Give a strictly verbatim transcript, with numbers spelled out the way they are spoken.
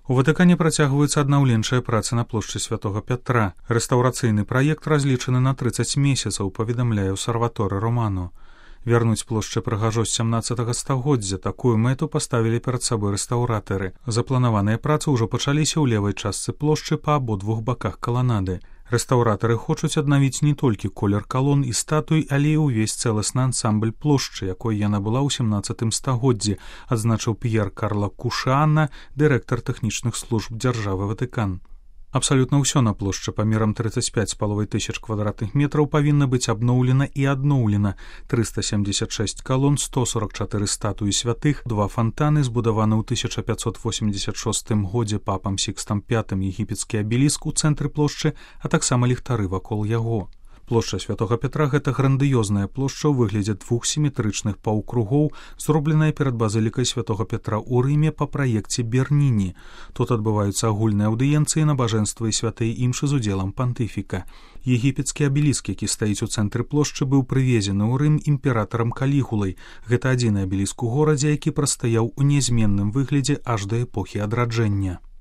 У Ватыкане працягваюцца аднаўленчыя працы на плошчы святого Пятра. Рэстаўрацыйны праект разлічаны на трыццаць месяцаў, паведамляе Осерваторы Романо. Вярнуць плошчы прыгажосць сямнаццатага стагоддзя. Такую мэту паставілі перад сабой рэстаўратары. Запланаваныя працы ўжо пачаліся ў левай частцы плошчы па абодвух баках каланады. Рэстаўратары хочуць аднавіць не толькі колер калон і статуй, але і ўвесь цэласны ансамбль плошчы, якой яна была ў сямнаццатым стагоддзі, адзначыў П'ер Карло Кушаана, дырэктар тэхнічных служб дзяржавы Ватыкан. Абсалютна ўсё на плошчы памерам трыццаць пяць з паловай тысяч квадратных метраў павінна быць абноўлена і адноўлена. трыста семьдесят шесть калон, сто сорок чатыры статуі святых, два фантаны, збудаваны ў тысяча пятьсот восемьдесят шостым годзе папам Сікстам пятым егіпецкі абеліск у цэнтры плошчы, а таксама ліхтары вакол яго. Плошча святого Пятра — гэта грандыёзная плошча ў выглядзе двух сіметрычных паўкругоў, зробленая перад базылікай святого Пятра ў Рыме па праекце Берніні. Тут адбываюцца агульныя аўдыенцыі, набажэнства і святыя імшы з удзелам пантыфіка. Егіпецкі абеліск, які стаіць у цэнтры плошчы, быў прывезены ў Рым імператарам Калігулай. Гэта адзіны абеліск у горадзе, які прастаяў у нязменным выглядзе аж да эпохі адраджэння.